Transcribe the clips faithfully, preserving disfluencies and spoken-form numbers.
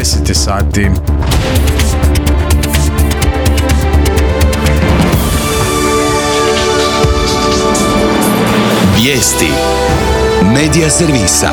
deset sati. Vijesti Medija servisa.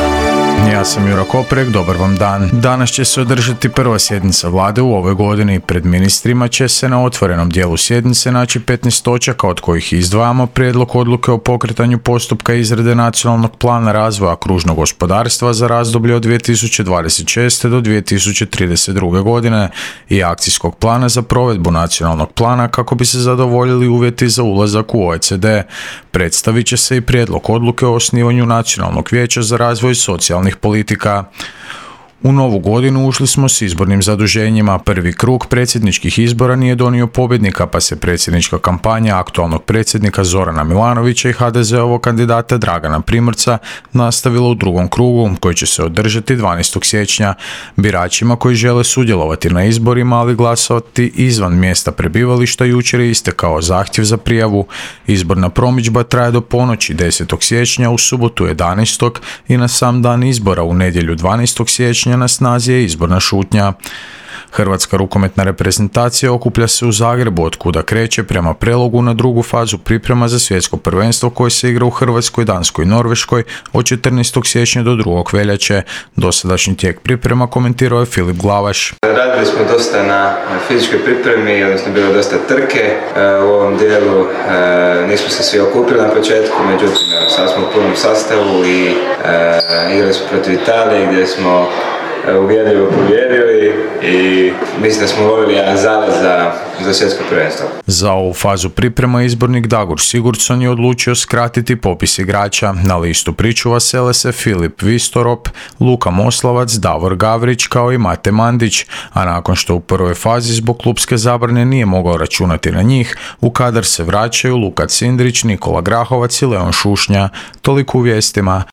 Ja sam Juro Koprek, dobar vam dan. Danas će se održati prva sjednica vlade u ovoj godini. Pred ministrima će se na otvorenom dijelu sjednice naći petnaest točaka, od kojih izdvajamo prijedlog odluke o pokretanju postupka izrade nacionalnog plana razvoja kružnog gospodarstva za razdoblje od dvije tisuće dvadeset šeste do dvije tisuće trideset druge. godine i akcijskog plana za provedbu nacionalnog plana kako bi se zadovoljili uvjeti za ulazak u O E C D. Predstavit će se i prijedlog odluke o osnivanju Nacionalnog vijeća za razvoj socijalnih politika. U novu godinu ušli smo s izbornim zaduženjima. Prvi krug predsjedničkih izbora nije donio pobjednika, pa se predsjednička kampanja aktualnog predsjednika Zorana Milanovića i ha de zeovog kandidata Dragana Primorca nastavila u drugom krugu, koji će se održati dvanaestog siječnja. Biračima koji žele sudjelovati na izborima, ali glasovati izvan mjesta prebivališta, jučer je istekao zahtjev za prijavu. Izborna promidžba traje do ponoći desetog siječnja, u subotu jedanaestog i na sam dan izbora u nedjelju dvanaestog siječnja na snazi je izborna šutnja. Hrvatska rukometna reprezentacija okuplja se u Zagrebu, od kuda kreće prema Prelogu na drugu fazu priprema za svjetsko prvenstvo koje se igra u Hrvatskoj, Danskoj i Norveškoj od četrnaestog siječnja do drugog veljače. Dosadašnji tijek priprema komentirao je Filip Glavaš. Radili smo dosta na fizičkoj pripremi, odnosno bilo dosta trke. U ovom dijelu nismo se svi okupili na početku, međutim sad smo u punom sastavu i igrali smo protiv Italije gdje smo uvjerljivo pobjedili i mislim da smo lovili jedan zalaz za, za svjetsko prvenstvo. Za ovu fazu priprema izbornik Dagur Sigurdsson je odlučio skratiti popis igrača. Na listu pričuva sele se Filip Vistorop, Luka Moslavac, Davor Gavrić kao i Mate Mandić, a nakon što u prvoj fazi zbog klupske zabrane nije mogao računati na njih, u kadar se vraćaju Luka Cindrić, Nikola Grahovac i Leon Šušnja. Toliko u vijestima.